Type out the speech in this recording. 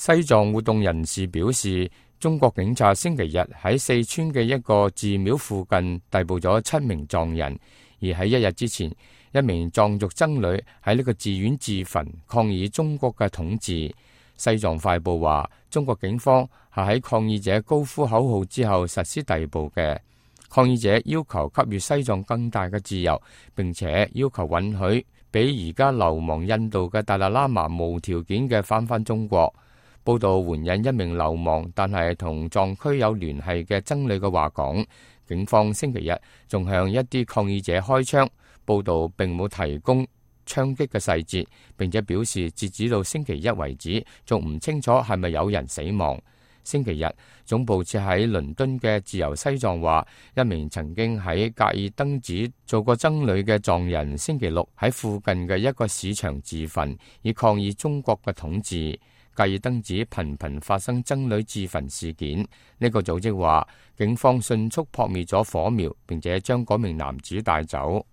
西藏活動人士表示，中國警察星期日喺四川嘅一個寺廟附近逮捕咗7名藏人，而喺一日之前，一名藏族僧侶喺呢個寺院自焚，抗議中國嘅統治。西藏快報話，中國警方係喺抗議者高呼口號之後實施逮捕嘅。抗議者要求給予西藏更大嘅自由，並且要求允許俾而家流亡印度嘅達賴喇嘛無條件嘅返中國。報道援引一名流亡但係同藏區有聯繫嘅僧侶嘅話講，警方星期日仲向一啲抗議者開槍。報道並冇提供槍擊嘅細節，並且表示截止到星期一為止，仲唔清楚係咪有人死亡。星期日，總部設喺倫敦嘅自由西藏話，一名曾經喺格爾登寺做過僧侶嘅藏人，星期六喺附近嘅一個市場自焚，以抗議中國嘅統治。格爾登寺頻頻發生僧侶自焚事件。呢個組織話，警方迅速撲滅咗火苗，並且將嗰名男子帶走。